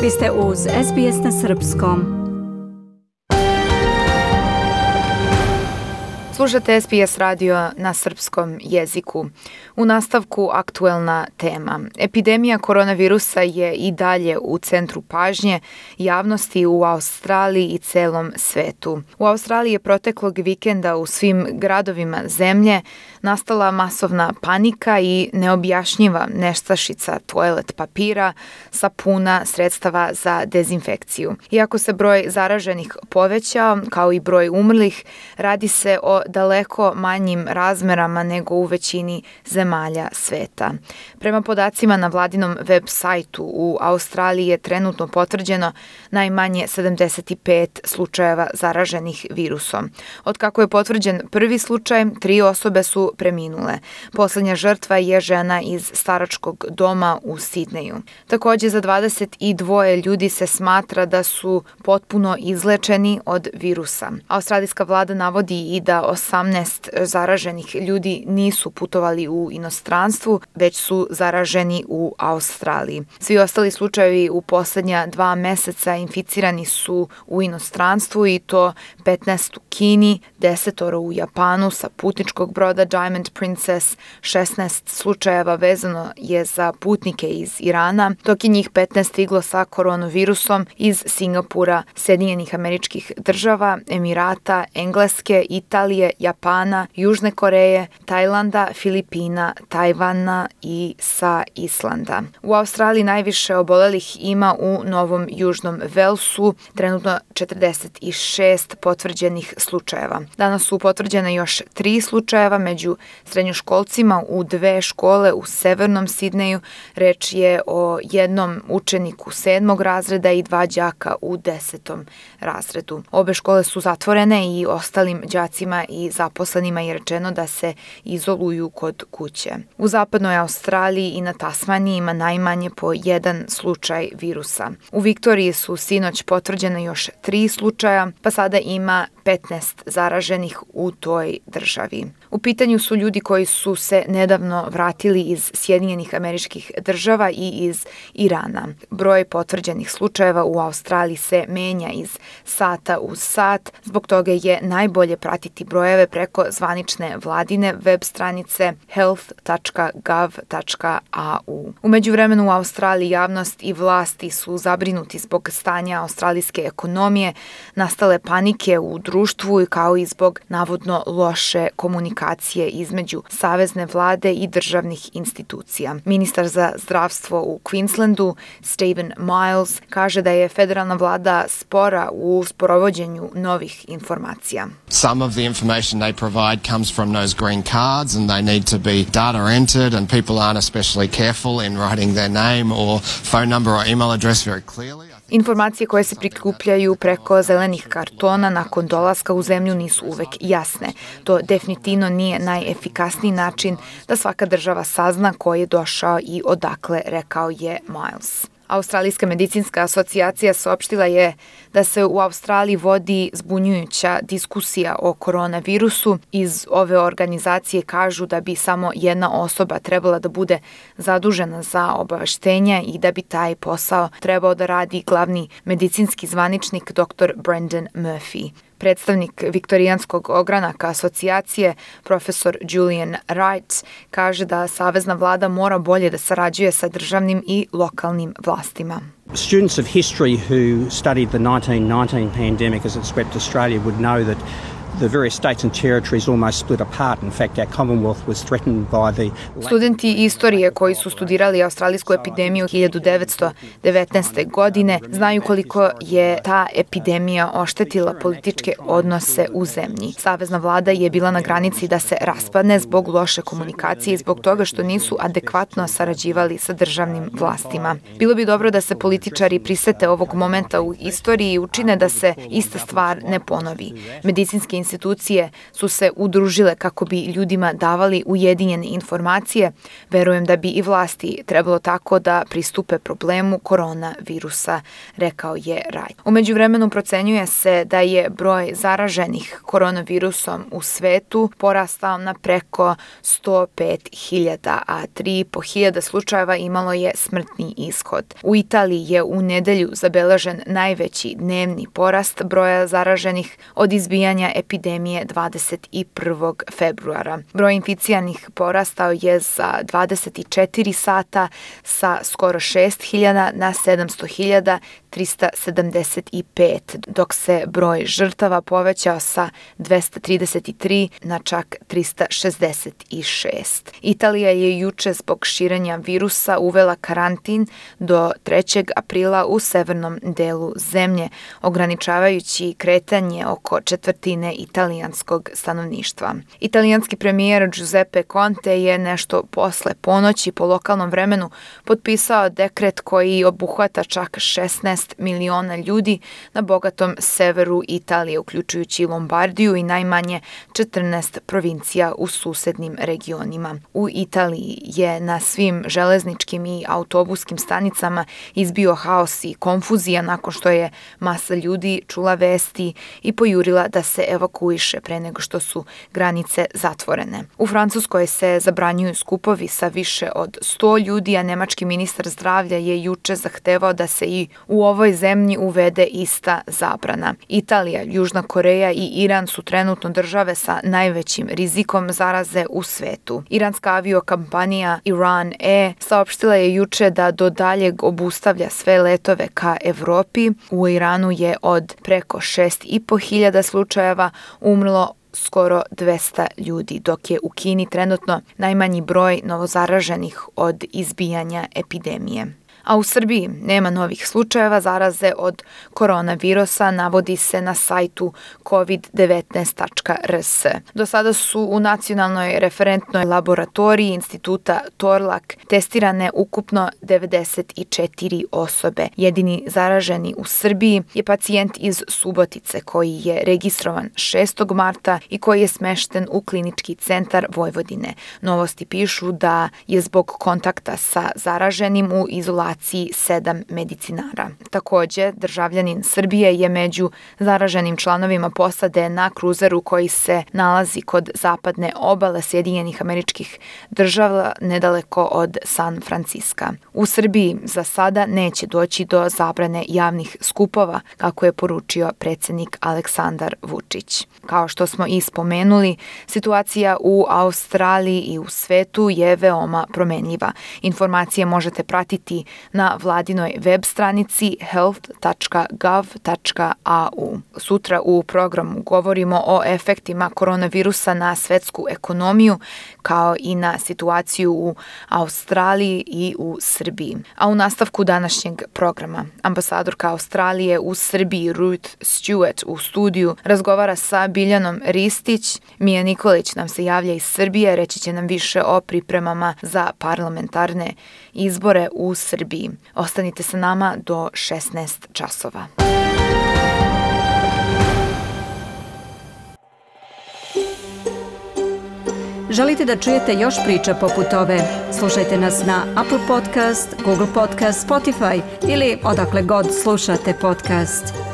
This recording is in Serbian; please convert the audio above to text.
Vi ste uz SBS na Srpskom. Slušate SBS radio na srpskom jeziku. U nastavku aktuelna tema. Epidemija koronavirusa je i dalje u centru pažnje javnosti u Australiji i celom svetu. U Australiji je proteklog vikenda u svim gradovima zemlje nastala masovna panika i neobjašnjiva nestašica toalet papira, sapuna, sredstava za dezinfekciju. Iako se broj zaraženih povećao, kao i broj umrlih, radi se o daleko manjim razmerama nego u većini zemalja sveta. Prema podacima na vladinom web sajtu, u Australiji je trenutno potvrđeno najmanje 75 slučajeva zaraženih virusom. Od kako je potvrđen prvi slučaj, 3 osobe su preminule. Poslednja žrtva je žena iz staračkog doma u Sidneju. Takođe, za 22 ljudi se smatra da su potpuno izlečeni od virusa. Australijska vlada navodi i da 18 zaraženih ljudi nisu putovali u inostranstvu, već su zaraženi u Australiji. Svi ostali slučajevi u poslednja 2 meseca inficirani su u inostranstvu i to 15 u Kini, 10 u Japanu sa putničkog broda Diamond Princess, 16 slučajeva vezano je za putnike iz Irana, dok je njih 15 stiglo sa koronavirusom iz Singapura, Sjedinjenih Američkih Država, Emirata, Engleske, Italije, Japana, Južne Koreje, Tajlanda, Filipina, Tajvana i sa Islanda. U Australiji najviše obolelih ima u Novom Južnom Velsu, trenutno 46 potvrđenih slučajeva. Danas su potvrđene još 3 slučajeva među srednjoškolcima u 2 škole u severnom Sidneju. Reč je o jednom učeniku 7. razreda i 2 đaka u 10. razredu. Obe škole su zatvorene i ostalim đacima i zaposlenima je rečeno da se izoluju kod kuće. U zapadnoj Australiji i na Tasmaniji ima najmanje po 1 slučaj virusa. U Viktoriji su sinoć potvrđene još 3 slučaja, pa sada ima 15 zaraženih u toj državi. U pitanju su ljudi koji su se nedavno vratili iz Sjedinjenih Američkih Država i iz Irana. Broj potvrđenih slučajeva u Australiji se menja iz sata u sat, zbog toga je najbolje pratiti brojeve preko zvanične vladine web stranice health.gov.au. U međuvremenu u Australiji javnost i vlasti su zabrinuti zbog stanja australijske ekonomije, nastale panike u društvu kao i zbog navodno loše komunikacije između savezne vlade i državnih institucija. Ministar za zdravstvo u Queenslandu, Stephen Miles, kaže da je federalna vlada spora u sprovođenju novih informacija. Some of the information they provide comes from those green cards and they need to be data entered and people aren't especially careful in writing their name or phone number or email address very clearly. Informacije koje se prikupljaju preko zelenih kartona nakon dolaska u zemlju nisu uvek jasne. To definitivno nije najefikasniji način da svaka država sazna ko je došao i odakle, rekao je Miles. Australijska medicinska asocijacija saopštila je da se u Australiji vodi zbunjujuća diskusija o koronavirusu. Iz ove organizacije kažu da bi samo jedna osoba trebala da bude zadužena za obaveštenja i da bi taj posao trebao da radi glavni medicinski zvaničnik dr. Brendan Murphy. Predstavnik viktorijanskog ogranaka asocijacije, profesor Julian Wright, kaže da savezna vlada mora bolje da sarađuje sa državnim i lokalnim vlastima. Students of history who studied the 1919 pandemic as it swept Australia would know that the various states and territories almost split apart. In fact, our Commonwealth was threatened by the... Studenti istorije koji su studirali australijsku epidemiju 1919. godine znaju koliko je ta epidemija oštetila političke odnose u zemlji. Savezna vlada je bila na granici da se raspadne zbog loše komunikacije i zbog toga što nisu adekvatno sarađivali sa državnim vlastima. Bilo bi dobro da se političari prisete ovog momenta u istoriji i učine da se ista stvar ne ponovi. Medicinske institucije su se udružile kako bi ljudima davali ujedinjene informacije, verujem da bi i vlasti trebalo tako da pristupe problemu koronavirusa, rekao je Raj. U međuvremenu procenjuje se da je broj zaraženih koronavirusom u svetu porastao na preko 105.000, a 3.500 slučajeva imalo je smrtni ishod. U Italiji je u nedelju zabeležen najveći dnevni porast broja zaraženih od izbijanja epidemije 21. februara. Broj inficijanih porastao je za 24 sata sa skoro 6.000 na 700.375, dok se broj žrtava povećao sa 233 na čak 366. Italija je juče zbog širenja virusa uvela karantin do 3. aprila u severnom delu zemlje, ograničavajući kretanje oko četvrtine italijanskog stanovništva. Italijanski premijer Giuseppe Conte je nešto posle ponoći po lokalnom vremenu potpisao dekret koji obuhvata čak 16 miliona ljudi na bogatom severu Italije, uključujući Lombardiju i najmanje 14 provincija u susednim regionima. U Italiji je na svim železničkim i autobuskim stanicama izbio haos i konfuzija nakon što je masa ljudi čula vesti i pojurila da se evakuiše pre nego što su granice zatvorene. U Francuskoj se zabranjuju skupovi sa više od 100 ljudi, a nemački ministar zdravlja je juče zahtevao da se i u ovoj zemlji uvede ista zabrana. Italija, Južna Koreja i Iran su trenutno države sa najvećim rizikom zaraze u svetu. Iranska aviokompanija Iran Air saopštila je juče da do daljeg obustavlja sve letove ka Evropi. U Iranu je od preko 6.500 slučajeva umrlo skoro 200 ljudi, dok je u Kini trenutno najmanji broj novozaraženih od izbijanja epidemije. A u Srbiji nema novih slučajeva zaraze od koronavirusa, navodi se na sajtu covid19.rs. Do sada su u Nacionalnoj referentnoj laboratoriji Instituta Torlak testirane ukupno 94 osobe. Jedini zaraženi u Srbiji je pacijent iz Subotice koji je registrovan 6. marta i koji je smešten u Klinički centar Vojvodine. Novosti pišu da je zbog kontakta sa zaraženim u izolaciji 7 medicinara. Takođe, državljanin Srbije je među zaraženim članovima posade na kruzeru koji se nalazi kod zapadne obale Sjedinjenih Američkih Država nedaleko od San Franciska. U Srbiji za sada neće doći do zabrane javnih skupova, kako je poručio predsjednik Aleksandar Vučić. Kao što smo i spomenuli, situacija u Australiji i u svetu je veoma promenljiva. Informacije možete pratiti na vladinoj web stranici health.gov.au. Sutra u programu govorimo o efektima koronavirusa na svetsku ekonomiju, kao i na situaciju u Australiji i u Srbiji. A u nastavku današnjeg programa, ambasadorka Australije u Srbiji Ruth Stewart u studiju razgovara sa Biljanom Ristić. Mija Nikolić nam se javlja iz Srbije, reći će nam više o pripremama za parlamentarne izbore u Srbiji. Ostanite sa nama do 16 časova. Želite da čujete još priča poput ove? Slušajte nas na Apple Podcast, Google Podcast, Spotify ili odakle god slušate podcast.